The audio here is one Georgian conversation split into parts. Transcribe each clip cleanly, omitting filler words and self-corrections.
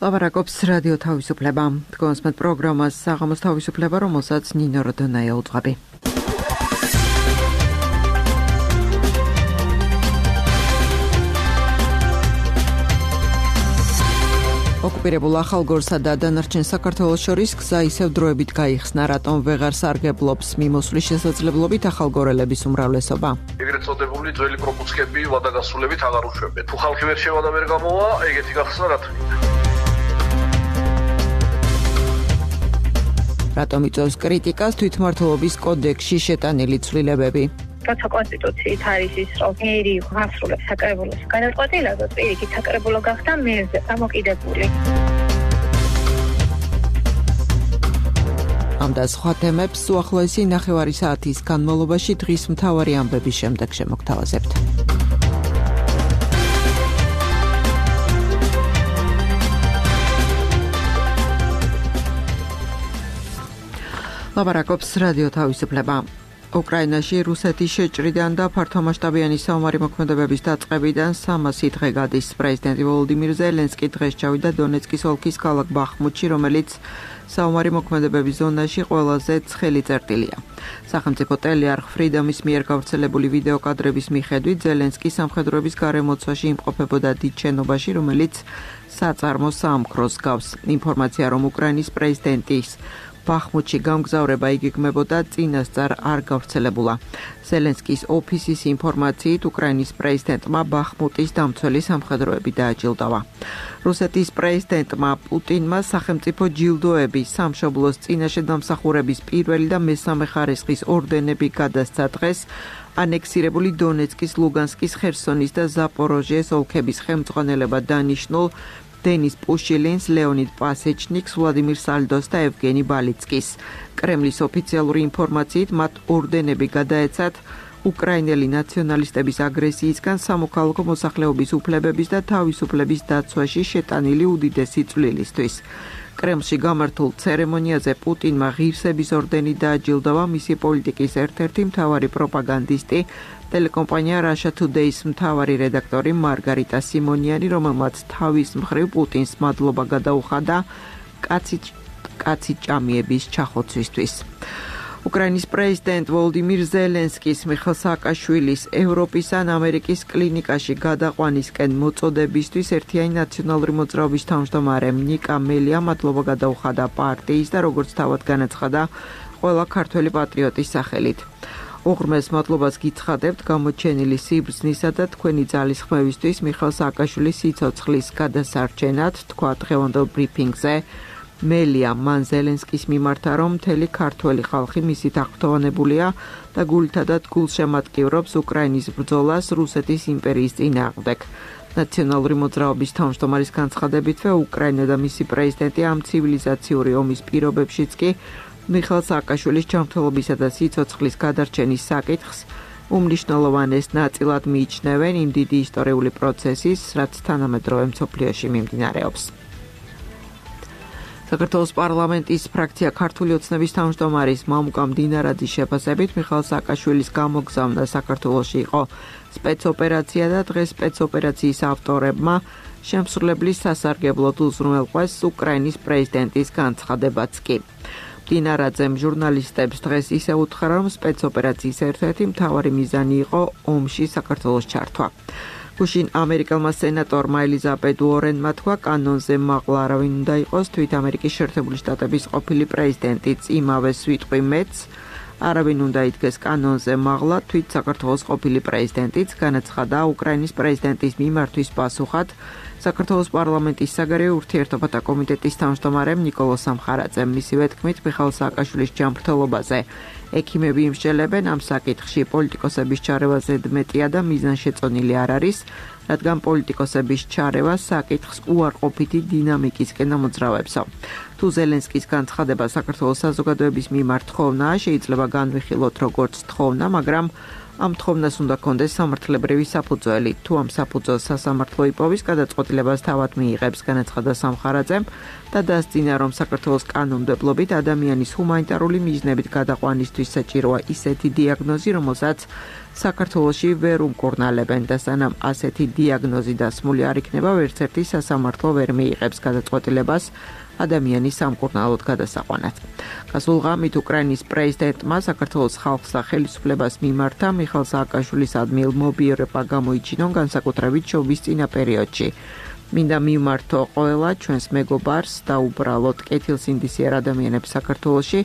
ლაპარაკობს რადიო თავისუფლება. თქვენს პროგრამას საღამოს თავისუფლება, რომელსაც ნინო როდონაია უძღვები. ოკუპირებულ ახალგორსა და დანარჩენ საქართველოს შორის გზა ისევ დროებით გაიხსნა, რატომ ვეღარ სარგებლობს მიმოსვლის შესაძლებლობით ახალგორელების უმრავლესობა. ეგრეთ წოდებული ძველი პროპუცკები ვადაგასრულებით აღარ უშვებენ. თუ ხალხი ვერ შევა და ვერ გამოვა, ეგეთი გახსნა რა თქმა. რატომ იწვევს კრიტიკას თვითმმართველობის კოდექსში შეტანილი ცვლილებები? როცა კონსტიტუციით არის ის, რომ მერი ასრულებს საკრებულოს განაწყობილებას, პირიქით საკრებულო გახდა მერზე დამოკიდებული. ამ და სხვა თემებს უახლოესი ნახევარი საათის განმავლობაში დღის მთავარი ამბების შემდეგ შემოგთავაზებთ. ლაპარაკობს რადიო თავისუფლება. უკრაინაში რუსეთის შეჭრიდან და ფართომასშტაბიანი საომარი მოქმედებების დაწყებიდან 300 დღე გადის. პრეზიდენტი ვოლოდიმირ ზელენსკი დღეს ჩავიდა დონეცკის ოლქის ქალაქ ბახმუთში, რომელიც საომარი მოქმედებების ზონაში ყველაზე ცხელი წერტილია. სახელმწიფო ტელეარხ ფრიდომის მიერ გავრცელებული ვიდეო კადრების მიხედვით ზელენსკი სამხედროების გარემოცვაში იმყოფებოდა დიდ შენობაში, რომელიც საწარმო საამქროს გავს. ინფორმაცია, რომ უკრაინის პრეზიდენტის ბახმუთში გამგზავრება იგეგმებოდა, წინასწარ არ გავრცელებულა. ზელენსკის ოფისის ინფორმაციით, უკრაინის პრეზიდენტმა ბახმუტის დამცველი სამხედროები დააჯილდოვა. რუსეთის პრეზიდენტმა პუტინმა სახელმწიფო ჯილდოები, სამშობლოს წინაშე დამსახურების პირველი და მესამე ხარისხის ორდენები გადასცა დღეს ანექსირებული დონეცკის, ლუგანსკის, ხერსონის და ზაპოროჟიეს ოლქების ხელმძღვანელება დანიშნულ დენის პუშილინს, ლეონიდ პასეჩნიკს, ვლადიმირ სალდოს და ევგენი ბალიცკის. კრემლის ოფიციალური ინფორმაციით, მათ ორდენები გადაეცათ უკრაინელი ნაციონალისტების აგრესიისგან სამოქალაქო მოსახლეობის უფლებების და თავისუფლების დაცვაში შეტანილი უდიდესი წვლილისთვის. კრემლში გამართულ ცერემონიაზე პუტინმა ღირსების ორდენი დააჯილდოვა მისი პოლიტიკის ერთ-ერთი მთავარი პროპაგანდისტი, ტელეკომპანია Russia Today-ის მთავარი რედაქტორი მარგარიტა სიმონიანი, რომელმაც თავის მხრივ პუტინს მადლობა გადაუხადა კაცი ჭამიების ჩახოცვისთვის. უკრაინის პრეზიდენტ ვოლოდიმირ ზელენსკის მიხეილ სააკაშვილის ევროპის ან ამერიკის კლინიკაში გადაყვანისკენ მოწოდებისთვის ერთიანი ნაციონალური მოძრაობის თავმჯდომარე ნიკა მელიამ მადლობა გადაუხადა პარტიის და როგორც თავად განაცხადა, ყველა ქართველი პატრიოტის სახელით. უღრმეს მადლობას გიცხადებთ გამოჩენილი სიბრძნისა და თქვენი ძალისხმევისთვის მიხეილ სააკაშვილის სიცოცხლის გადასარჩენად, თქვა დღევანდელ ბრიფინგზე მელია. მან ზელენსკის მიმართა, რომ მთელი ქართველი ხალხი მისით აღფრთოვანებულია და გულთა და გულშემატკივრობს უკრაინის ბრძოლას რუსეთის იმპერიის წინააღმდეგ. ნაციონალური მოძრაობის თავმჯდომარის განცხადებითვე, უკრაინა და მისი პრეზიდენტი ამ ცივილიზაციური ომის პირობებშიც კი მიხეილ სააკაშვილის ჯანმრთელობისა და სიცოცხლის გადარჩენის საკითხს უმნიშვნელოვანეს ნაწილად მიიჩნევენ იმ დიდი ისტორიული პროცესის, რაც თანამედროვე მსოფლიოში მიმდინარეობს. საქართველოს პარლამენტის ფრაქცია ქართული ოცნების თავმჯდომარის მამუკა მდინარაძის შეფასებით, მიხეილ სააკაშვილის გამოგზავნა საქართველოში იყო სპეცოპერაცია და დღეს სპეცოპერაციის ავტორებმა შემსრულებლის სასარგებლოდ უზრუნველყვეს უკრაინის პრეზიდენტის განცხადებაც კი. მდინარაძემ ჟურნალისტებს დღეს ისე უთხრა, რომ სპეცოპერაციის ერთ-ერთი მთავარი მიზანი იყო ომში საქართველოს ჩართვა. გუშინ ამერიკელმა სენატორმა ელიზაბეთ უორენმა თქვა, კანონზე მაღლა არავინ უნდა იყოს, თვით ამერიკის შეერთებული შტატების ყოფილი პრეზიდენტიც იმავე სვიტყვი მეც არავინ უნდა იდგეს კანონზე მაღლა, თვით საქართველოს ყოფილი პრეზიდენტიც, განაცხადა უკრაინის პრეზიდენტის მიმართვის პასუხად საქართველოს პარლამენტის საგარეო ურთიერთობათა კომიტეტის თავმჯდომარემ ნიკოლო სამხარაძემ. მისივე თქმით, მიხეილ სააკაშვილის ჯანმრთელობაზე ექიმები იმსჯელებენ, ამ საკითხში პოლიტიკოსების ჩარევა ზედმეტია და მიზანშეწონილი არ არის, რადგან პოლიტიკოსების ჩარევა საკითხს უარყოფითი დინამიკისკენ ამოძრავებსო. თუ ზელენსკის განცხადება საქართველოს საზოგადოების მიმართ თხოვნაა, შეიძლება განვიხილოთ როგორც თხოვნა, მაგრამ ამ თხოვნას უნდა კონდეს სამართლებრივი საფუძველი. თუ ამ საფუძველს სასამართლო იპოვის, გადაწყვეტილებას თავად მიიღებს, განაცხადა სამხარაძემ და დასძინა, რომ საქართველოს კანონმდებლობით ადამიანის ჰუმანიტარული მიზნებით გადაყვანისთვის მათთვის საჭიროა ისეთი დიაგნოზი, რომელსაც საქართველოში ვერ უმკურნალებენ და სანამ ასეთი დიაგნოზი დასმული არ იქნება, ვერც ერთი სასამართლო ვერ მიიღებს გადაწყვეტილებას ადამიანის სამკურნალოდ გადასაყვანად. გასულ ღამით უკრაინის პრეზიდენტმა საქართველოს ხალხს და ხელისუფლებას მიმართა მიხეილ სააკაშვილის ადმილმობიერება გამოიჩინონ განსაკუთრებით შობის წინა პერიოდში. მინდა მიმართო ყველა ჩვენს მეგობარს და უბრალოდ კეთილსინდისიერ ადამიანებს საქართველოში.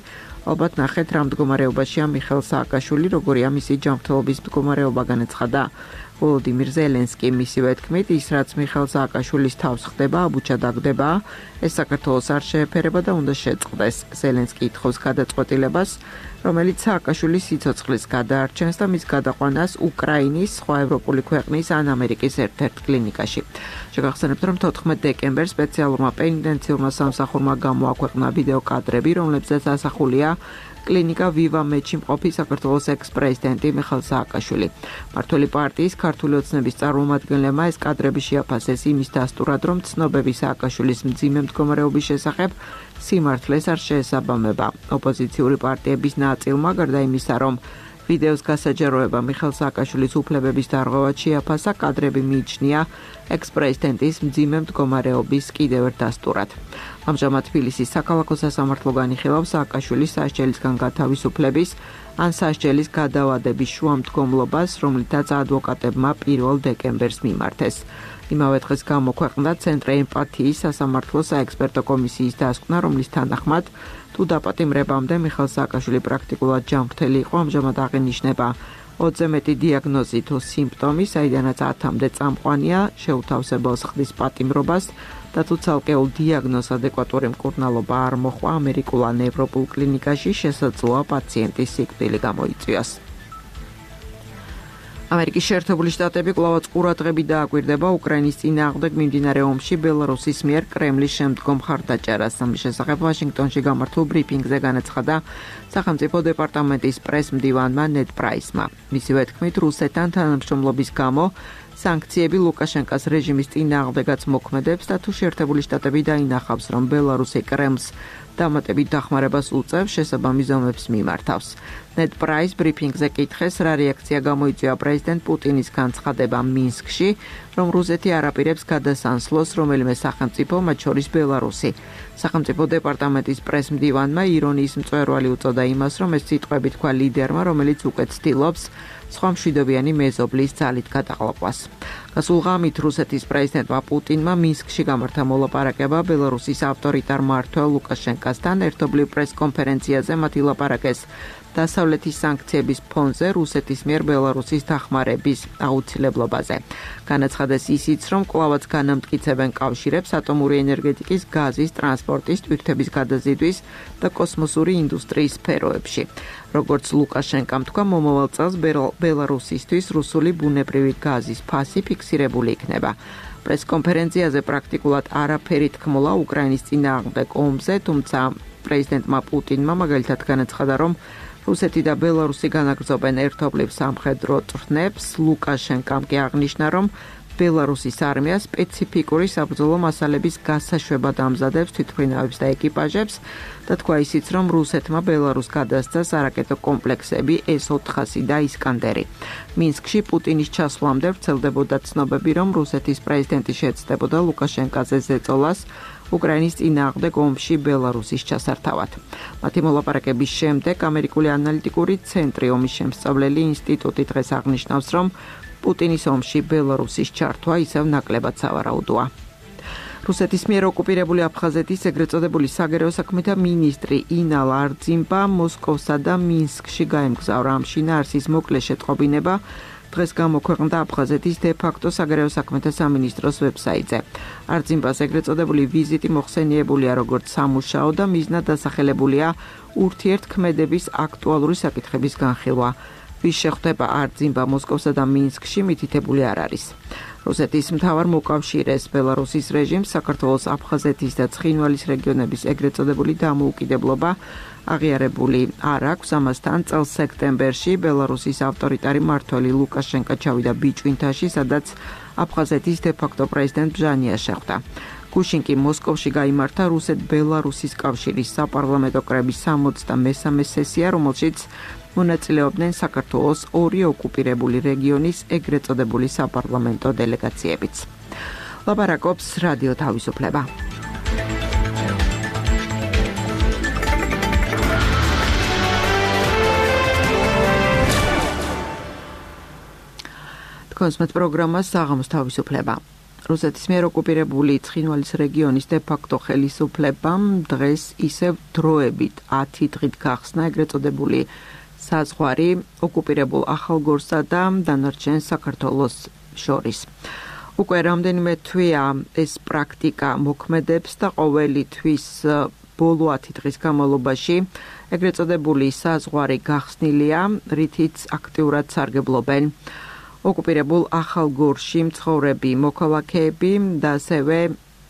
ალბათ ნახეთ რა მდგომარეობაშია მიხეილ სააკაშვილი, როგორია მისი ჯანმრთელობის მდგომარეობა, განაცხადა ვოლოდიმირ ზელენსკი. მისივე თქმით, ის რაც მიხეილ სააკაშვილის თავს ხდება, აბუჩა დაგდება, ეს საქართველოს არ შეეფერება და უნდა შეწყდეს. ზელენსკი ითხოვს გადაწყვეტილებას, რომელიც სააკაშვილის სიცოცხლის გადაარჩენს და მის გადაყვანას უკრაინის, სხვა ევროპული ქვეყნის ან ამერიკის ერთ-ერთ კლინიკაში. შეგახსენებთ, რომ 14 დეკემბერს სპეციალურმა პენიტენციურმა სამსახურმა გამოაქვეყნა ვიდეო კადრები, რომლებზეც ასახულია კლინიკა ვივა მედში მყოფი საქართველოს ექს-პრეზიდენტი მიხეილ სააკაშვილი. მმართველი პარტიის ქართული ოცნების წარმომადგენლებმა ეს კადრები შეაფასეს იმის დასტურად, რომ ცნობები სააკაშვილის მძიმე მდგომარეობის შესახებ სიმართლეს არ შეესაბამება. ოპოზიციური პარტიების ნაწილმა, გარდა იმისა, რომ ვიდეოს გასაჯაროება მიხეილ სააკაშვილის უფლებების დარღვევად შეაფასა, კადრები მიიჩნია ექს-პრეზიდენტის მძიმე მდგომარეობის კიდევ ერთ დასტურად. ამჟამად თბილისის საქალაქო სასამართლო განიხილავს სააკაშვილის სასჯელისგან გათავისუფლების ან სასჯელის გადავადების შუამდგომლობას, რომლითაც ადვოკატებმა 1 დეკემბერს მიმართეს. იმავე დღეს გამოქვეყნდა ცენტრი ემპათიის სასამართლო საექსპერტო კომისიის დასკვნა, რომლის თანახმად თუ დაპატიმრებამდე მიხეილ სააკაშვილი პრაქტიკულად ჯანმრთელი იყო, ამჟამად აღინიშნება 20-ზე მეტი დიაგნოზი თუ სიმპტომი, საიდანაც 10-მდე წამყვანია, შეუთავსებელს ხდის პატიმრობას და თუ ცალკეულ დიაგნოზს ადეკვატური მკურნალობა არ მოჰყვა ამერიკულ ან ევროპულ კლინიკაში, შესაძლოა პაციენტის სიკვდილი გამოიწვიოს. ამერიკის შეერთებული შტატები კვლავაც ყურადღებით დააკვირდება უკრაინის წინააღმდეგ მიმდინარე ომში ბელარუსის მიერ კრემლის შემდგომ მხარდაჭერას. ამის შესახებ ვაშინგტონში გამართულ ბრიფინგზე განაცხადა სახელმწიფო დეპარტამენტის პრეს-მდივანმა ნედ პრაისმა. მისივე თქმით, რუსეთთან თანამშრომლობის გამო სანქციები ლუკაშენკას რეჟიმის წინააღმდეგაც მოქმედებს და თუ შეერთებული შტატები დაინახავს, რომ ბელარუსი კრემლს დამატებით დახმარებას უწევს, შესაბამის ზომებს მიმართავს. ნედ პრაის ბრიფინგზე კითხეს, რა რეაქცია გამოიწვია პრეზიდენტ პუტინის განცხადება მინსკში, რომ რუსეთი არ აპირებს გადასანსლოს რომელიმე სახელმწიფო, მათ შორის ბელარუსი. სახელმწიფო დეპარტამენტის პრეს-მდივანმა ირონიის მწვერვალი უწოდა იმას, რომ ეს სიტყვები თქვა ლიდერმა, რომელიც უკვე ცდილობს სხვა მშვიდობიანი მეზობლის ძალით გადაღლყვას. გასულ ღამით რუსეთის პრეზიდენტმა პუტინმა მინსკში გამართა მოლაპარაკება ბელარუსის ავტორიტარ მმართველ ლუკაშენკასთან. ერთობლივ პრეს-კონფერენციაზე მათ ილაპარაკეს დასავლეთის სანქციების ფონზე რუსეთის მიერ ბელარუსის დახმარების აუცილებლობაზე. განაცხადეს ისიც, რომ კვლავაც განამტკიცებენ კავშირებს ატომური ენერგეტიკის, გაზის, ტრანსპორტის, ტვირთების გადაზიდვის და კოსმოსური ინდუსტრიის სფეროებში. როგორც ლუკაშენკამ თქვა, მომავალ წელს ბელარუსისთვის რუსული ბუნებრივი გაზის ფასი ფიქსირებული იქნება. პრეს-კონფერენციაზე პრაქტიკულად არაფერი თქმულა უკრაინის წინააღმდეგ ომზე, თუმცა პრეზიდენტმა პუტინმა მაგალითად განაცხადა, რომ რუსეთი და ბელარუსი განაგრძობენ ერთობლივ სამხედრო წვრთნებს. ლუკაშენკამ კი აღნიშნა, რომ ბელარუსის არმია სპეციფიკური საბრძოლო მასალების გასაშვებად ამზადებს თვითმფრინავებს და ეკიპაჟებს და თქვა ისიც, რომ რუსეთმა ბელარუსს გადასცა სარაკეტო კომპლექსები S-400 და ისკანდერი. მინსკში პუტინის ჩასვლამდე ვრცელდებოდა ცნობები, რომ რუსეთის პრეზიდენტი შეეცდებოდა ლუკაშენკაზე ზეწოლას უკრაინის წინააღმდეგ ომში ბელარუსის ჩასართავად. მათი მოლაპარაკების შემდეგ ამერიკული ანალიტიკური ცენტრი ომის შემსწავლელი ინსტიტუტი დღეს აღნიშნავს, რომ პუტინის ომში ბელარუსის ჩართვა ისევ ნაკლებად სავარაუდოა. რუსეთის მიერ ოკუპირებული აფხაზეთის ეგრეთ წოდებული საგარეო საქმეთა მინისტრი ინალ არძიმბა მოსკოვსა და მინსკში გაემგზავრა. ამ შინაარსის მოკლე შეტყობინება დღეს გამოქვეყნდა აფხაზეთის დე-ფაქტო საგარეო საქმეთა სამინისტროს ვებსაიტზე. არძიმბას ეგრეთ წოდებული ვიზიტი მოხსენიებულია როგორც სამუშაო და მიზნად დასახელებულია ურთიერთქმედების აქტუალური საკითხების განხილვა. ვის შეხვდება არძიმბა მოსკოვსა და მინსკში მითითებული არ არის. რუსეთის მთავარ მოკავშირეს ბელარუსის რეჟიმს საქართველოს აფხაზეთის და ცხინვალის რეგიონების ეგრეთ წოდებული დამოუკიდებლობა აღიარებული არ აქვს. ამასთან წელს სექტემბერში ბელარუსის ავტორიტარი მმართველი ლუკაშენკა ჩავიდა ბიჭვინთაში, სადაც აფხაზეთის დე-ფაქტო პრეზიდენტ ბჟანია შეხვდა. გუშინ კი მოსკოვში გაიმართა რუსეთ-ბელარუსის კავშირის საპარლამენტო კრების 63-მე სესია, რომელშიც მონაწილეობდნენ საქართველოს ორი ოკუპირებული რეგიონის ეგრეთ წოდებული საპარლამენტო დელეგაციებიც. ლაპარაკობს რადიო თავისუფლება. კონსმეთ პროგრამა საღამოს თავისუფლება. რუსეთის მიერ ოკუპირებული ცხინვალის რეგიონის დე-ფაქტო ხელისუფლებამ დღეს ისევ დროებით 10 დღით გახსნა ეგრეთ წოდებული საზღვარი ოკუპირებულ ახალგორსა და დანარჩენ საქართველოს შორის. უკვე რამდენიმე თვეა ეს პრაქტიკა მოქმედებს და ყოველი თვის ბოლო 10 დღის განმავლობაში ეგრეთ წოდებული საზღვარი გახსნილია, რითიც აქტიურად სარგებლობენ ოკუპირებულ ახალგორში მცხოვრები მოქალაქეები და ასევე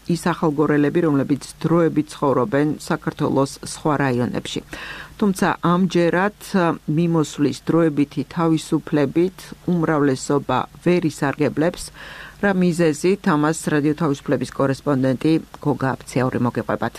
ის ახალგორელები, რომლებიც დროებით ცხოვრობენ საქართველოს სხვა რაიონებში. თუმცა ამჯერად მიმოსვლის დროებითი თავისუფლებით უმრავლესობა ვერ ისარგებლებს, რა მიზეზით ამას რადიო თავისუფლების კორესპონდენტი გოგა აფციური მოგეყვებათ.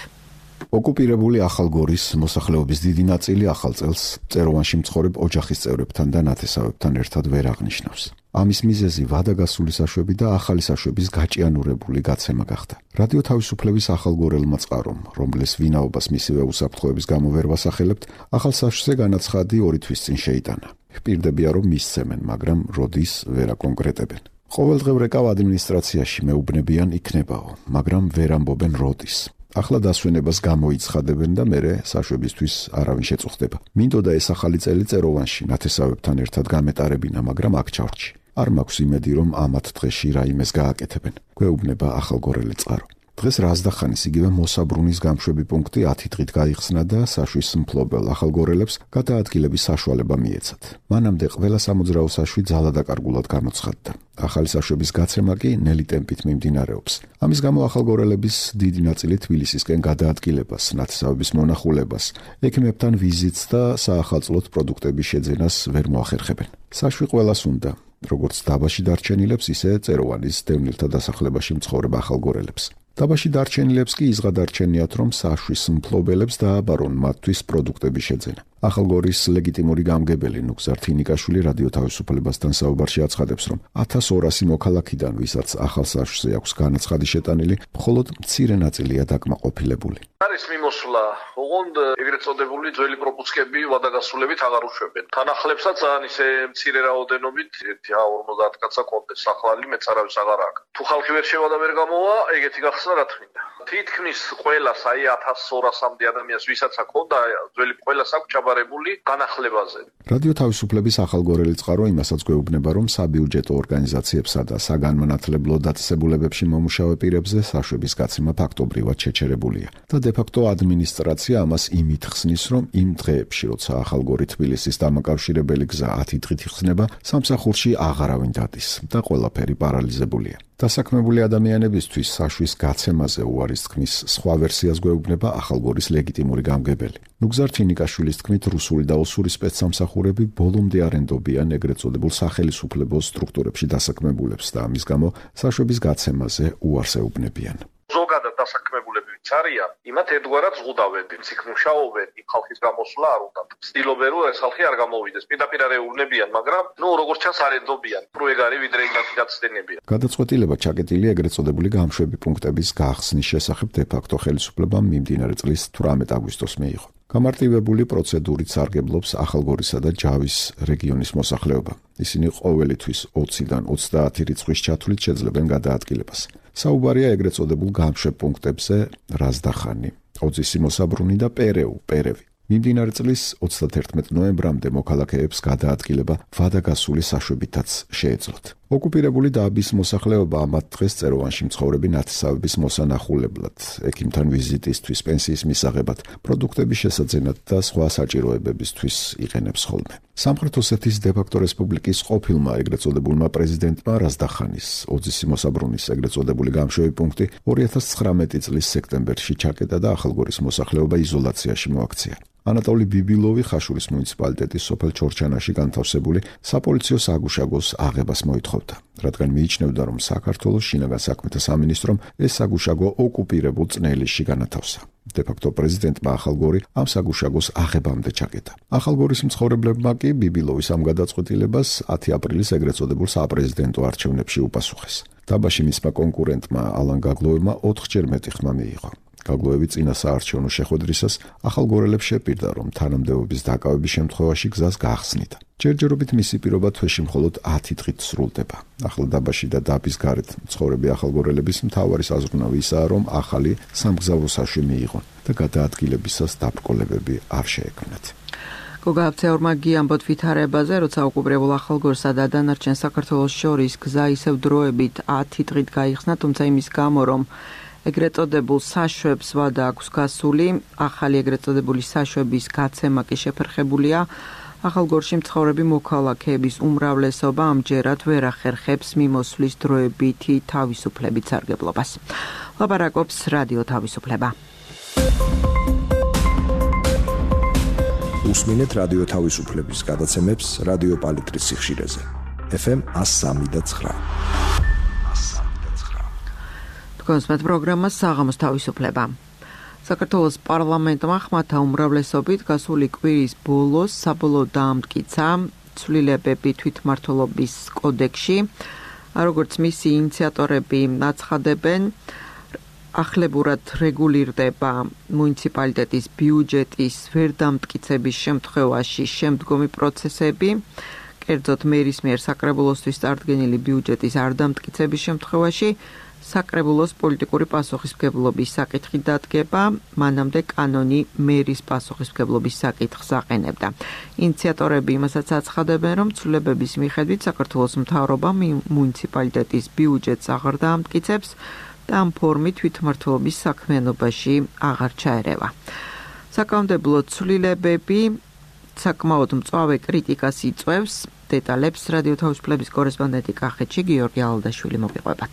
ოკუპირებული ახალგორის მოსახლეობის დიდი ნაწილი ახალ წელს წეროვანში მცხოვრებ ოჯახის წევრებთან და ნათესავებთან ერთად ვერ აღნიშნავს. ამის მიზეზი ვადაგასული საშვები და ახალი საშვების გაჭიანურებული გაცემა გახდა. რადიო თავისუფლების ახალგორელმა წყარომ, რომლის ვინაობას მისივე უსაფრთხოების გამო ვერ ვასახელებთ, ახალ საშვზე განაცხადი 2 თვის წინ შეიტანა. ვპირდებია, რომ მისცემენ, მაგრამ როდის ვერ აკონკრეტებენ. ყოველდღე ვრეკავ ადმინისტრაციაში მეუბნებიან იქნებაო, მაგრამ ვერ ამბობენ როდის. ახლა დასვენებას გამოიცხადებენ და მერე საშვებისთვის არავინ შეწუხდება. მინდოდა ეს ახალი წელი წეროვანში ნათესავებთან ერთად გამეტარებინა, მაგრამ აქ ჩავრჩი. არ მაქვს იმედი, რომ ამათ დღეში რაიმეს გააკეთებენ. გვეუბნება ახალგორელი წყარო. დღეს რაზდახანის იგივე მოსაბრუნის გამშვები პუნქტი 10 დღით გაიხსნა და საშვის მფლობელ ახალგორელებს გადაადგილების საშუალება მიეცათ. მანამდე ყველა სამოძრაო საშვი ძალადაკარგულად გამოცხადდა. ახალი საშვების გაცემა კი ნელი ტემპით მიმდინარეობს. ამის გამო ახალგორელების დიდი ნაწილი თბილისისკენ გადაადგილებას, ნათესავების მონახულებას, ექიმებთან ვიზიტს და საახალწლოდ პროდუქტების შეძენას ვერ მოახერხებენ. საშვი ყველას უნდა, როგორც დაბაში დარჩენილებს, ისე წეროვანის დევნილთა დასახლებაში მცხოვრებ ახალგორელებს. დაბაში დარჩენილებს კი იზღადარჩენიათ, რომ საშვის მფლობელებს დააბარონ მათთვის პროდუქტების შეძენა. ახალგორის ლეგიტიმური გამგებელი ნუგზარ თინიკაშვილი რადიო თავისუფლებასთან საუბარში აცხადებს, რომ 1200 მოქალაქიდან, ვისაც ახალ საშვზე აქვს განაცხადი შეტანილი, მხოლოდ მცირე ნაწილია დაკმაყოფილებული. არის მიმოსვლა, ოღონდ ეგრეთ წოდებული ძველი პროპუსკები ვადაგასულებით აღარ უშვებენ. თანახლებსაც ძალიან ისე მცირე რაოდენობით 1-50 კაცსა კონდეს, ახალი მეც არავის აღარ აქვს. თუ ხალხი ვერ შევა და ვერ გამოვა, ეგეთი გახსნა რა თქმა. თითქმის ყველას, აი 1200-მდე ადამიანს, ვისაც აქვს ძველი ყველას აქვს ჩაბარებული განახლებაზე. რადიო თავისუფლების ახალგორელი წყარო იმასაც გვეუბნება, რომ საბიუჯეტო ორგანიზაციებსა და საგანმანათლებლო დაწესებულებებში მომუშავე პირებზე საშვების გაცემა ფაქტობრივად შეჩერებულია და დე-ფაქტო ადმინისტრაცია ამას იმით ხსნის, რომ იმ დღეებში, როცა ახალგორი თბილისის დამაკავშირებელი გზა 10 დღით იხსნება, სამსახურში აღარავინ დადის და ყველაფერი პარალიზებულია. დასაქმებული ადამიანებისთვის საშვის გაცემაზე უარის თქმის სხვა ვერსიას გვეუბნება ახალგორის ლეგიტიმური გამგებელი. ნუგზარ თინიკაშვილის თქმით, რუსული და ოსური სპეცსამსახურები ბოლომდე არენდობიან ეგრეთ წოდებულ სახელისუფლებო სტრუქტურებში დასაქმებულებს და ამის გამო საშვების გაცემაზე უარს ეუბნებიან. ზოგადად დასაქმებულები არიან, იმათ ერთგვარად ზღუდავენ, იქ მუშაობენ, იმ ხალხის გამოსვლა არ უნდათ. ცდილობენ, რომ ეს ხალხი არ გამოვიდეს. პირდაპირ არ ეუბნებიან, მაგრამ როგორც ჩანს არენდობიან. უფრო ეგ არის, ვიდრე იმათი გაცდენებია. გადაწყვეტილება ჩაკეტილია ეგრეთ წოდებული გამშვები პუნქტების გახსნის შესახებ დე-ფაქტო ხელისუფლებამ მიმდინარე წლის 18 აგვისტოს მიიღო. გამარტივებული პროცედურით სარგებლობს ახალგორისა და ჯავის რეგიონის მოსახლეობა. ისინი ყოველი თვის 20-დან 30 რიცხვის ჩათვლით შეძლებენ გადაადგილებას. საუბარია ეგრეთ წოდებულ გამშვებ პუნქტებზე რაზდახანი, ოძისი მოსაბრუნი და პერევი. მიმდინარე წლის 31 ნოემბრამდე მოქალაქეებს გადაადგილება ვადაგასული საშვებითაც შეეძლოთ. ოკუპირებული დაბის მოსახლეობა ამათ დღეს წეროვანში მცხოვრები ნათესავების მოსანახულებლად, ექიმთან ვიზიტისთვის, პენსიის მისაღებად, პროდუქტების შესაძენად და სხვა საჭიროებებისთვის იყენებს ხოლმე. სამხრეთ ოსეთის დე-ფაქტო რესპუბლიკის ყოფილმა ეგრეთ წოდებულმა პრეზიდენტმა რაზდახანის ოძისი მოსაბრუნის ეგრეთ წოდებული გამშვები პუნქტი 2019 წლის სექტემბერში ჩაკეტა და ახალგორის მოსახლეობა იზოლაციაში მოაქცია. ანატოლი ბიბილოვი ხაშურის მუნიციპალიტეტის სოფელ ჩორჩანაში განთავსებული საპოლიციო საგუშაგოს აღებას მოითხოვდა. უთხოვდა, რადგან მიიჩნევდა, რომ საქართველოს შინაგან საქმეთა სამინისტრომ ეს საგუშაგო ოკუპირებულ წნეილისში განათავსა. დე-ფაქტო პრეზიდენტმა ახალგორი ამ საგუშაგოს აღებამდე ჩაკეტა. ახალგორის მცხოვრებლებმა კი ბიბილოვის ამ გადაწყვეტილებას 10 აპრილის ეგრეთ წოდებულ საპრეზიდენტო არჩევნებში უპასუხეს. დაბაში მისმა კონკურენტმა ალან გაგლოევმა 4-ჯერ მეტი ხმა მიიღო. გაგლოევი წინა საარჩევნო შეხვედრისას ახალგორელებს შეპირდა, რომ თანამდებობის დაკავების შემთხვევაში გზას გაახსნიდა. ჯერჯერობით მისი პირობა თვეში მხოლოდ 10 დღით სრულდება. ახლა დაბაში და დაბის გარეთ მცხოვრები ახალგორელების მთავარი საზრუნავი ისაა, რომ ახალი სამგზავრო საშვი მიიღონ და გადაადგილებისას დაბრკოლებები არ შეექმნათ. გოგააფცეორმა გიამბოთ ვითარებაზე, როცა ოკუპირებულ ახალგორსა და დანარჩენ საქართველოს შორის გზა ისევ დროებით 10 დღით გაიხსნა, თუმცა იმის გამო, რომ ეგრეთ წოდებულ საშვებს ვადა აქვს გასული, ახალი ეგრეთ წოდებული საშვების გაცემა კი შეფერხებულია. ახალგორში მცხოვრები მოქალაქეების უმრავლესობა ამჯერად ვერ ახერხებს მიმოსვლის დროებითი თავისუფლებით სარგებლობას. ლაპარაკობს რადიო თავისუფლება. უსმინეთ რადიო თავისუფლების გადაცემებს რადიო პალიტრის სიხშირეზე. FM 103.9. კონსმეთ პროგრამა საღამოს თავისუფლება. საქართველოს პარლამენტმა ხმათა უმრავლესობით გასული კვირის ბოლოს საბოლოოდ დაამტკიცა ცვლილებები თვითმმართველობის კოდექსში, როგორც მისი ინიციატორები აცხადებენ, ახლებურად რეგულირდება მუნიციპალიტეტის ბიუჯეტის ვერ დამტკიცების შემთხვევაში შემდგომი პროცესები, კერძოდ მერის მიერ საკრებულოსთვის წარდგენილი ბიუჯეტის არ დამტკიცების შემთხვევაში საკრებულოს პოლიტიკური პასუხისმგებლობის საკითხი დადგება, მანამდე კანონი მერის პასუხისმგებლობის საკითხს აყენებდა. ინიციატორები იმასაც აცხადებენ, რომ ცვლილებების მიხედვით საქართველოს მთავრობა მუნიციპალიტეტის ბიუჯეტს აღარ დაამტკიცებს და ამ ფორმით თვითმმართველობის საქმიანობაში აღარ ჩაერევა. საკანონმდებლო ცვლილებები საკმაოდ მწვავე კრიტიკას იწვევს. დეტალებს რადიო თავისუფლების კორესპონდენტი კახეთში გიორგი ალდაშვილი მოგიყვებათ.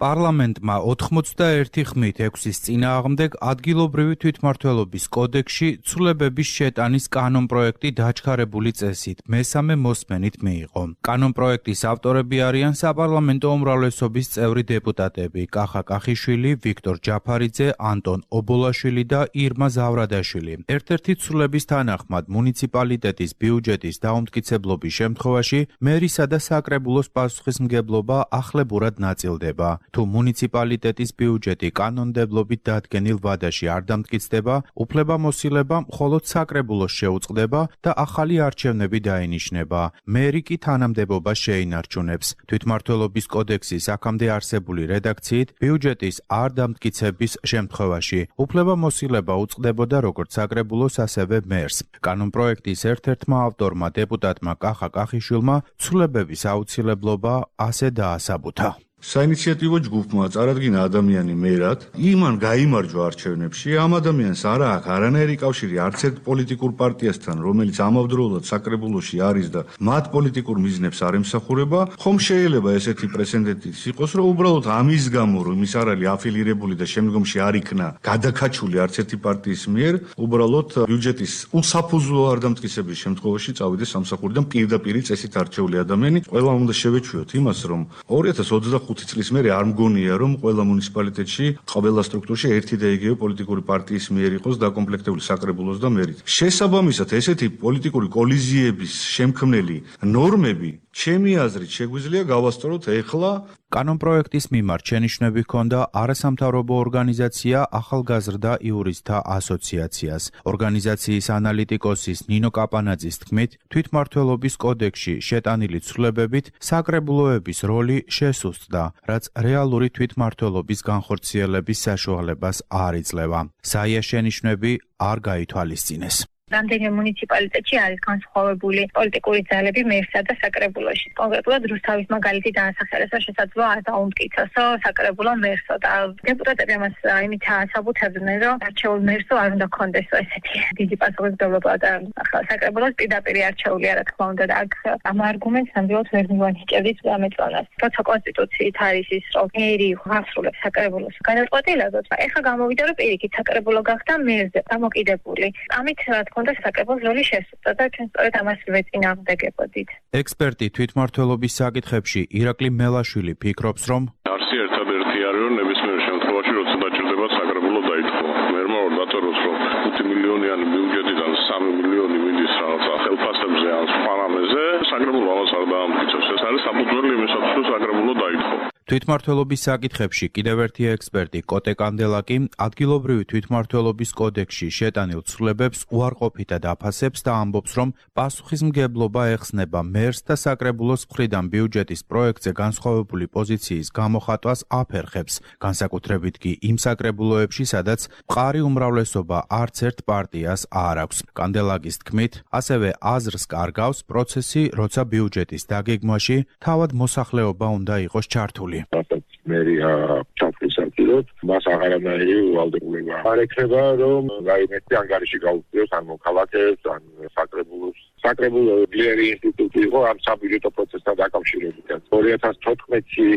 პარლამენტმა 91 ხმით 6-ის წინააღმდეგ ადგილობრივი თვითმმართველობის კოდექსში ცვლილებების შეტანის კანონპროექტი დაჩქარებული წესით მესამე მოსმენით მიიღო. კანონპროექტის ავტორები არიან საპარლამენტო უმრავლესობის წევრი დეპუტატები კახა კახიშვილი, ვიქტორ ჯაფარიძე, ანტონ ობოლაშვილი და ირმა ზავრადაშვილი. ერთ-ერთი ცვლილების თანახმად მუნიციპალიტეტის ბიუჯეტის დაუმტკიცებლობის შემთხვევაში მერისა და საკრებულოს პასუხისმგებლობა ახლებურად ნაწილდება. თუ მუნიციპალიტეტის ბიუჯეტი კანონმდებლობით დადგენილ ვადაში არ დამტკიცდება, უფლებამოსილება მხოლოდ საკრებულოს შეუწყდება და ახალი არჩევნები დაინიშნება. მერი კი თანამდებობას შეინარჩუნებს. თვითმმართველობის კოდექსის აქამდე არსებული რედაქციით ბიუჯეტის არ დამტკიცების შემთხვევაში უფლებამოსილება უწყდებოდა როგორც საკრებულოს, ასევე მერს. კანონპროექტის ერთ-ერთმა ავტორმა დეპუტატმა კახა კახიშვილმა ცვლილებების აუცილებლობა ასე დაასაბუთა. საინიციატივო ჯგუფმა წარადგინა ადამიანი მერად, იმან გაიმარჯვა არჩევნებში, ამ ადამიანს არ აქვს არანაირი კავშირი არც ერთ პოლიტიკურ პარტიასთან, რომელიც ამავდროულად საკრებულოში არის და მათ პოლიტიკურ მიზნებს არ ემსახურება, ხომ შეიძლება ესეთი პრეცედენტიც იყოს, რომ უბრალოდ ამის გამო, რომ ის არ არის აფილირებული და შემდგომში არ იქნა გადაკაჩული არც ერთი პარტიის მიერ, უბრალოდ ბიუჯეტის უსაფუძვლო არ დამტკიცების შემთხვევაში წავიდეს სამსახურიდან პირდაპირ წესით არჩეული ადამიანი. ყველა უნდა შევეჩვიოთ იმას, რომ 2025 წლის მერე არ მგონია, რომ ყველა მუნიციპალიტეტში, ყველა სტრუქტურაში ერთი და იგივე პოლიტიკური პარტიის მიერ იყოს დაკომპლექტებული საკრებულოს და მერით. შესაბამისად, ესეთი პოლიტიკური კოლიზიების შემქმნელი ნორმები, ჩემი აზრით, შეგვიძლია გავასწოროთ ეხლა. კანონპროექტის მიმართ შენიშვნები ჰქონდა არასამთავრობო ორგანიზაცია ახალგაზრდა იურისტთა ასოციაციას. ორგანიზაციის ანალიტიკოსის ნინო კაპანაძის თქმით, თვითმმართველობის კოდექსში შეტანილი ცვლილებებით საკრებულოების როლი შესუსტდა, რაც რეალური თვითმმართველობის განხორციელების საშუალებას არ იძლევა. საია შენიშვნები არ გაითვალისწინეს. რამდენიმე მუნიციპალიტეტში არის განსხვავებული პოლიტიკური ძალები მერსა და საკრებულოში. კონკრეტულად რუსთავის მაგალითი დაასახელეს, რომ შესაძლოა არ დაუმტკიცოსო საკრებულო მერსო და დეპუტატები ამას იმით ასაბუთებდნენ, რომ არჩეულ მერსო არ უნდა ქონდესო ესეთი დიდი პასუხისმგებლობა და ახლა საკრებულოს პირდაპირ არჩეული რა თქმა უნდა და აქ ამ არგუმენტს ნამდვილად ვერ მივანიჭებთ ამეწონას. როცა კონსტიტუციით არის ის, რომ მერი აღსრულებს საკრებულოს განაცხადებულებას, ეხლა გამოვიდა, რომ პირიქით საკრებულო გახდა მერზე დამოკიდებული. ამით რა თქმა ჰქონდა საკრებულოს როლი შესრულდა და ჩვენ სწორედ ამას ვეწინააღმდეგებოდით. ექსპერტი თვითმმართველობის საკითხებში ირაკლი მელაშვილი ფიქრობს, რომ არსი ერთადერთი არის, რომ ნებისმიერ შემთხვევაში, როცა დაჭირდება საკრებულო დაითხოვა. მერმაურ დაწეროს, რომ 5 მილიონიანი ბიუჯეტიდან 3 მილიონი მიდის რაღაცა ხელფასებზე ან სხვა რამეზე, საკრებულო ამას არ დაამტკიცებს. ეს არის საფუძველი იმისათვის, რომ საკრებულო დაითხოვა. თვითმმართველობის საკითხებში კიდევ ერთი ექსპერტი კოტე კანდელაკი ადგილობრივი თვითმმართველობის კოდექსში შეტანილ ცვლილებებს უარყოფითად აფასებს და ამბობს, რომ პასუხისმგებლობა ეხსნება მერს და საკრებულოს მხრიდან ბიუჯეტის პროექტზე განსხვავებული პოზიციის გამოხატვას აფერხებს, განსაკუთრებით კი იმ საკრებულოებში, სადაც მყარი უმრავლესობა არც ერთ პარტიას არ აქვს. კანდელაკის თქმით, ასევე აზრს კარგავს პროცესი, როცა ბიუჯეტის დაგეგმვაში თავად მოსახლეობა უნდა იყოს ჩართული. რასაც მერია ჩათვლის აკეთებს, მას აღარანაირი ვალდებულება არ ექნება, რომ რაიმეთი ანგარიში გაუწიოს ან მოქალაქეებს, ან საკრებულოს. საკრებულო ძლიერი ინსტიტუტი იყო ამ საბიუჯეტო პროცესთან დაკავშირებით. 2014-ში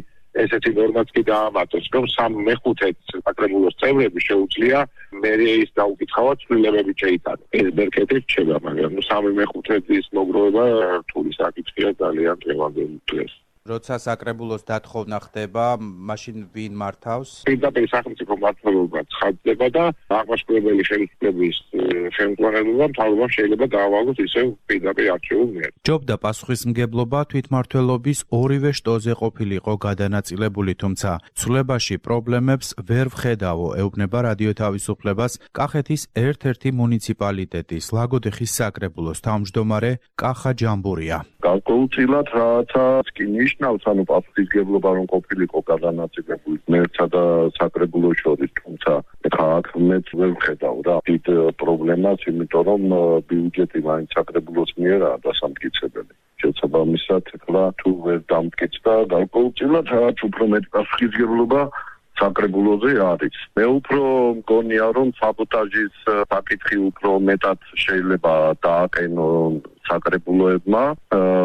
ესეთი ნორმაც კი დაამატოს, რომ 3/5 საკრებულოს წევრები შეუძლია მერიის დაუკითხავად ცვლილებები შეიტანოს. ეს ბერკეტი რჩება, მაგრამ 3/5-ის მოგროვება რთული საკითხია ძალიან დღევანდელი დღეს. როცა საკრებულოს დათხოვნა ხდება, მაშინ ვინ მართავს? პირდაპირ სახელმწიფო მმართველობა ცხადდება და აღმაშფოთებელი ხელისუფლების ხელმძღვანელობა მთავრობამ შეიძლება დაავალოს ისევ პირდაპირ არჩეულ მიერ. ჯობდა პასუხისმგებლობა თვითმმართველობის ორივე შტოზე ყოფილიყო გადანაწილებული, თუმცა ცვლილებაში პრობლემებს ვერ ვხედავო, ეუბნება რადიო თავისუფლებას კახეთის ერთ-ერთი მუნიციპალიტეტის ლაგოდეხის საკრებულოს თავმჯდომარე კახა ჯამბურია. გარკვეულწილად რაცა კი ნიშნავს, ანუ პასუხისმგებლობა რომ ყოფილიყო გადანაწილებული მერცსა და საკრებულოს შორის, თუმცა ხა აქ მეც ვერ ვხედავ რა დიდ პრობლემას, იმიტომ რომ ბიუჯეტი მაინც საკრებულოს მიერაა დასამტკიცებელი. შესაბამისად, ახლა თუ ვერ დამტკიცდა, გარკვეულწილად რაც უფრო მეტი პასუხისმგებლობა საკრებულოზე არის. მე უფრო მგონია, რომ საბოტაჟის საკითხი უფრო მეტად შეიძლება დააყენონ საკრებულოებმა,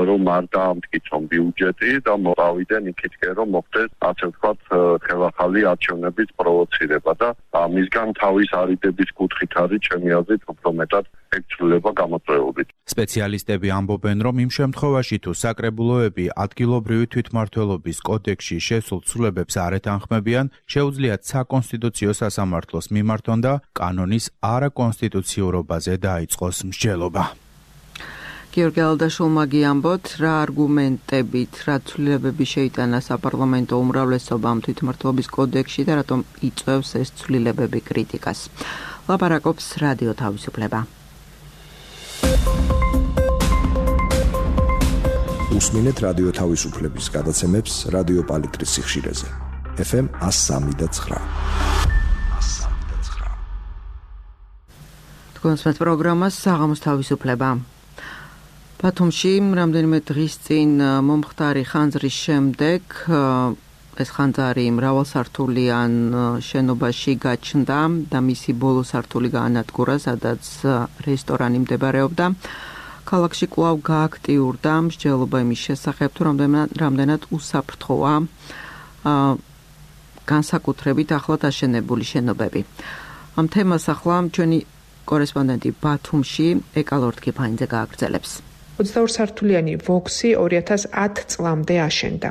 რომ არ დაამტკიცონ ბიუჯეტი და მოვავიდნენ იქითკენ, რომ მოხდეს, ასე ვთქვათ, ხელახალი არჩევნების პროვოცირება და ამისგან თავის არიდების კუთხით არის ჩემი აზრით უფრო მეტად ექცვლება გამოწვეული. სპეციალისტები ამბობენ, რომ იმ შემთხვევაში თუ საკრებულოები ადგილობრივი თვითმმართველობის კოდექსში შესულ ცვლილებებს არ ეთანხმებიან, შეუძლიათ საკონსტიტუციო სასამართლოს მიმართონ და კანონის არაკონსტიტუციურობაზე დაიწყოს მსჯელობა. გიორგი ალდაშულმა გიამბოთ, რა არგუმენტებით, რა ცვლილებები შეიტანა საპარლამენტო უმრავლესობამ თვითმმართველობის კოდექსში და რატომ იწვევს ეს ცვლილებები კრიტიკას. ლაპარაკობს რადიო თავისუფლება. უსმინეთ რადიო თავისუფლების გადაცემებს რადიო პალიტრის სიხშირეზე. FM 103.9. თქვენს პროგრამას საღამოს თავისუფლება. ბათუმში რამდენიმე დღის წინ მომხდარი ხანძრის შემდეგ ეს ხანძარი მრავალსართულიან შენობაში გაჩნდა და მისი ბოლო სართული გაანადგურა, სადაც რესტორანი მდებარეობდა. ქალაქში კვლავ გააქტიურდა მსჯელობა იმის შესახებ, თუ რამდენად უსაფრთხოა განსაკუთრებით ახლად აშენებული შენობები. ამ თემას ახლა ჩვენი კორესპონდენტი ბათუმში ეკალორდ კიფაინძე გააგრძელებს. 22 სართულიანი ვოქსი 2010 წლამდე აშენდა.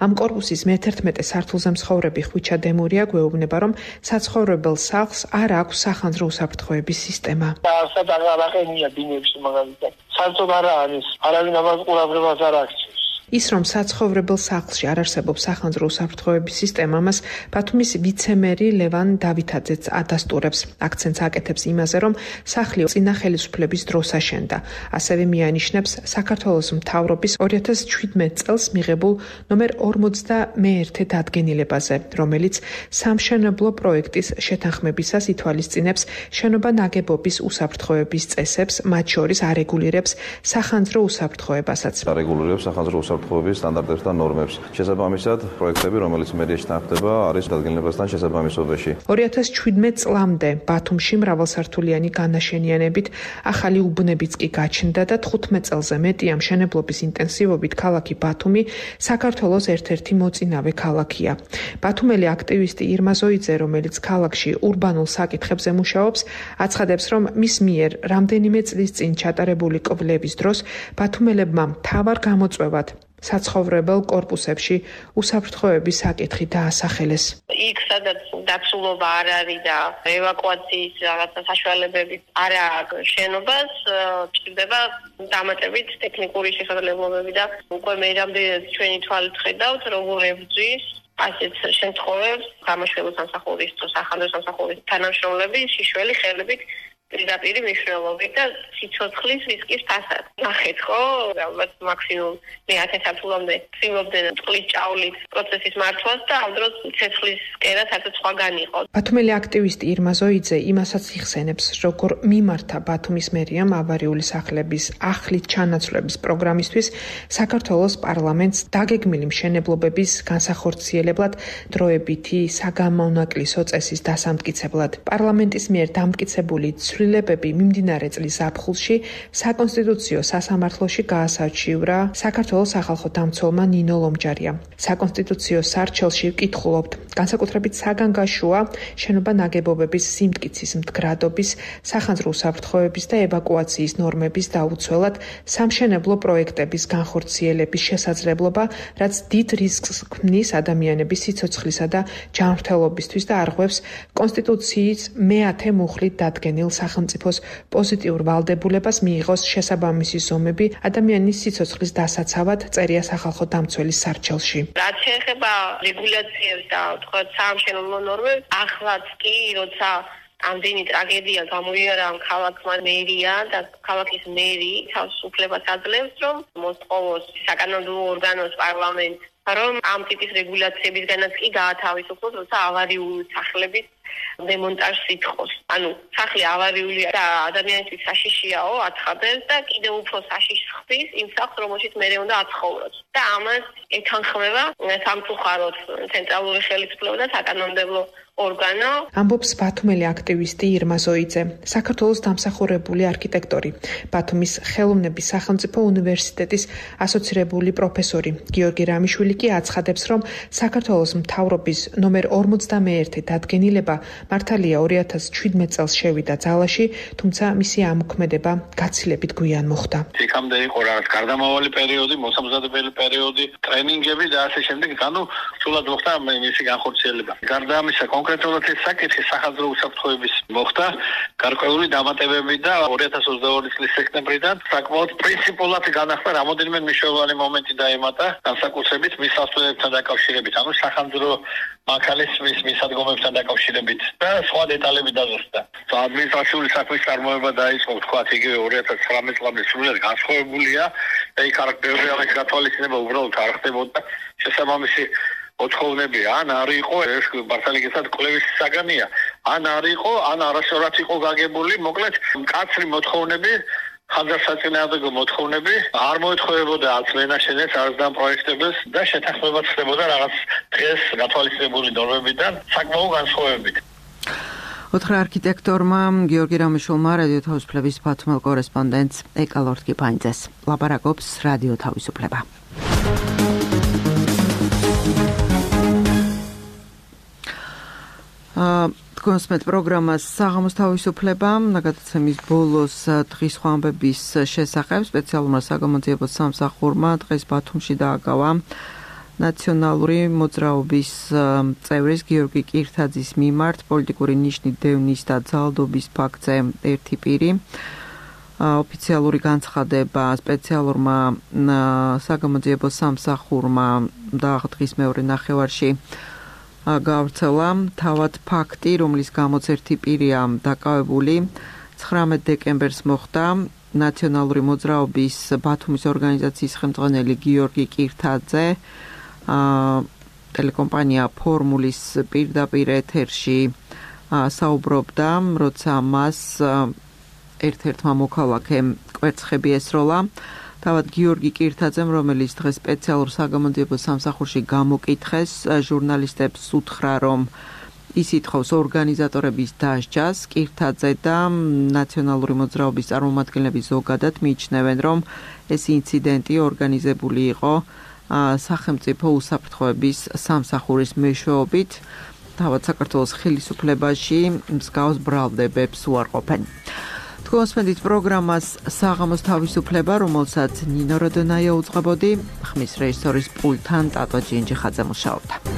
ამ კორპუსის მე-11 სართულზე მცხოვრები ხვიჩა დემურია გვეუბნება, რომ საცხოვრებელ სახლს არ აქვს სახანძრო უსაფრთხოების სისტემა. აღარაღენია ბინებში მაგალითად. საერთოდ არ არის, არავინ ამას ყურადღებას არ აქცევს. ის რომ საცხოვრებელ სახლში არ არსებობს სახანძრო უსაფრთხოების სისტემა, მას ბათუმის ვიცემერი ლევან დავითაძეც ადასტურებს. აქცენტს აკეთებს იმაზე, რომ სახლი წინა ხელისუფლების დროს აშენდა. ასევე მიანიშნებს საქართველოს მთავრობის 2017 წელს მიღებულ ნომერ 41 დადგენილებაზე, რომელიც სამშენებლო პროექტის შეთანხმებისას ითვალისწინებს შენობა ნაგებობის უსაფრთხოების წესებს, მათ შორის არეგულირებს სახანძრო უსაფრთხოებასაც. არეგულირებს სახანძრო უსაფრთხოების სტანდარტებს და ნორმებს. შესაბამისად, პროექტები, რომელიც მერიაში თანხმდება, არის დადგენილებასთან შესაბამისობაში. 2017 წლამდე ბათუმში მრავალსართულიანი განაშენიანებით ახალი უბნებიც კი გაჩნდა და 15 წელზე მეტი ამ მშენებლობის ინტენსივობით ქალაქი ბათუმი საქართველოს ერთ-ერთი მოწინავე ქალაქია. ბათუმელი აქტივისტი ირმა ზოიძე, რომელიც ქალაქში ურბანულ საკითხებზე მუშაობს, აცხადებს, რომ მის მიერ რამდენიმე წლის წინ ჩატარებული კვლევის დროს ბათუმელებმა მთავარ გამოწვევად საცხოვრებელ კორპუსებში უსაფრთხოების საკითხი დაასახელეს. იქ სადაც დაცულობა არ არის და ევაკუაციის რაღაცა საშუალებები არ აქვს შენობას, ჭირდება დამატებით ტექნიკური შესაძლებლობები და უკვე მე რამდენად ჩვენი თვალით ხედავთ, როგორ ებრძვის ასეთ შემთხვევებს გამოშვებულ სამსახურის თუ სახანძრო სამსახურის თანამშრომლები შიშველი ხელებით პირდაპირ მნიშვნელობით და სიცოცხლის რისკის ფასად. ნახეთ ხო, ალბათ მაქსიმუმ მე 10 საფულამდე ცდილობდნენ წყლის ჭავლით პროცესის მართვას და ამ დროს ცეცხლის კერა საერთოდ სხვაგან იყო. ბათუმელი აქტივისტი ირმა ზოიძე იმასაც იხსენებს, როგორ მიმართა ბათუმის მერიამ ავარიული სახლების ახლით ჩანაცვლების პროგრამისთვის საქართველოს პარლამენტს დაგეგმილი მშენებლობების განსახორციელებლად დროებითი საგამონაკლისო წესის დასამტკიცებლად. პარლამენტის მიერ დამტკიცებული ცვლილებები მიმდინარე წლის ზაფხულში საკონსტიტუციო სასამართლოში გაასარჩივრა საქართველოს სახალხო დამცველმა ნინო ლომჯარიამ. საკონსტიტუციო სარჩელში ვკითხულობთ, განსაკუთრებით საგანგაშოა შენობა ნაგებობების სიმტკიცის მდგრადობის, სახანძრო უსაფრთხოების და ევაკუაციის ნორმების დაუცველად სამშენებლო პროექტების განხორციელების შესაძლებლობა, რაც დიდ რისკს ქმნის ადამიანების სიცოცხლისა და ჯანმრთელობისთვის და არღვევს კონსტიტუციის მე-10 მუხლით დადგენილ სახელმწიფოს პოზიტიურ ვალდებულებას მიიღოს შესაბამისი ზომები ადამიანის სიცოცხლის დასაცავად, წერია სახალხო დამცველის სარჩელში. რაც შეეხება რეგულაციებს და თქვათ სამშენებლო ნორმებს, ახლაც კი როცა ამდენი ტრაგედია გამოიარა ამ ქალაქმა მერია და ქალაქის მერი თავს უფლებას აძლევს, რომ მოსთხოვოს საკანონმდებლო ორგანოს პარლამენტს, რომ ამ ტიპის რეგულაციებისგანაც კი გაათავისუფლოს, როცა ავარიული სახლების დემონტაჟს ითხოვს. ანუ სახლი ავარიულია და ადამიანისთვის საშიშიაო, აცხადებს და კიდევ უფრო საშიშს ხდის იმ სახლს, რომელშიც მერე უნდა აცხოვროს. და ამას ეთანხმება სამწუხაროდ ცენტრალური ხელისუფლება და საკანონმდებლო ორგანო. ამბობს ბათუმელი აქტივისტი ირმა ზოიძე, საქართველოს დამსახურებული არქიტექტორი, ბათუმის ხელოვნების სახელმწიფო უნივერსიტეტის ასოცირებული პროფესორი გიორგი რამიშვილი კი აცხადებს, რომ საქართველოს მთავრობის ნომერ 41 დადგენილება მართალია 2017 წელს შევიდა ძალაში, თუმცა მისი ამოქმედება გაცილებით გვიან მოხდა. იქამდე იყო რაღაც გარდამავალი პერიოდი, მოსამზადებელი პერიოდი, ტრენინგები და ასე შემდეგ, ანუ სულად მოხდა მისი განხორციელება. გარდა ამისა, კონკრეტულად ეს საკითხი სახანძრო უსაფრთხოების მოხდა გარკვეული დამატებები და 2022 წლის სექტემბრიდან საკმაოდ პრინციპულად განახდა რამოდენიმე მნიშვნელოვანი მომენტი დაემატა განსაკუთრებით მის სასწავლებლებთან დაკავშირებით, ანუ სახანძრო მანქანების მისადგომებთან დაკავშირებით და სხვა დეტალები დაზუსტდა. ადმინისტრაციული საქმის წარმოება დაიწყო, თქვათ, იგივე 2019 წლამდე სრულად განსხვავებულია და იქ არ ბევრი ამის გათვალისწინება უბრალოდ არ ხდებოდა. შესაბამისი მოთხოვნები ან არ იყო ეს მართალიგესაც კვლევის საგანია, ან არ იყო, ან არასწორად იყო გაგებული, მოკლედ მკაცრი მოთხოვნები, ხანძარსაწინააღმდეგო მოთხოვნები არ მოეთხოვებოდა არც მენაშენეს, არც და პროექტებს და შეთანხმებაც ხდებოდა რაღაც დღეს გათვალისწინებული ნორმებიდან საკმაო განსხვავებით. ოთხრა არქიტექტორმა გიორგი რამიშვილმა რადიო თავისუფლების ბათუმელ კორესპონდენტს ეკალორდ კიპანიძეს ლაპარაკობს რადიო თავისუფლება. კონსმეთ პროგრამას საღამოს თავისუფლება გადაცემის ბოლოს დღის ხვამბების შესახებ სპეციალურმა საგამოძიებო სამსახურმა დღეს ბათუმში დააგავა ნაციონალური მოძრაობის წევრის გიორგი კირთაძის მიმართ პოლიტიკური ნიშნით დევნის და ძალადობის ფაქტზე ერთი პირი. ოფიციალური განცხადება სპეციალურმა საგამოძიებო სამსახურმა და დღის მეორე ნახევარში გავრცელა თავად ფაქტი, რომლის გამოც ერთი პირია დაკავებული 19 დეკემბერს მოხდა ნაციონალური მოძრაობის ბათუმის ორგანიზაციის ხელმძღვანელი გიორგი კირთაძე ტელეკომპანია ფორმულის პირდაპირ ეთერში საუბრობდა, როცა მას ერთ-ერთმა მოქალაქემ კვერცხები ესროლა თავად გიორგი კირთაძემ, რომელიც დღეს სპეციალურ საგამოძიებო სამსახურში გამოკითხეს, ჟურნალისტებს უთხრა, რომ ის ითხოვს ორგანიზატორების დასჯას. კირთაძე და ნაციონალური მოძრაობის წარმომადგენლები ზოგადად მიიჩნევენ, რომ ეს ინციდენტი ორგანიზებული იყო სახელმწიფო უსაფრთხოების სამსახურის მეშვეობით. თავად საქართველოს ხელისუფლებაში მსგავს ბრალდებებს უარყოფენ. თქვენ მოსმენთ პროგრამას საღამოს თავისუფლება, რომელსაც ნინო როდონაია უძღვებოდი, ხმის რეჟისორის პულტთან ტატო ჯინჯიხაძე მუშაობდა.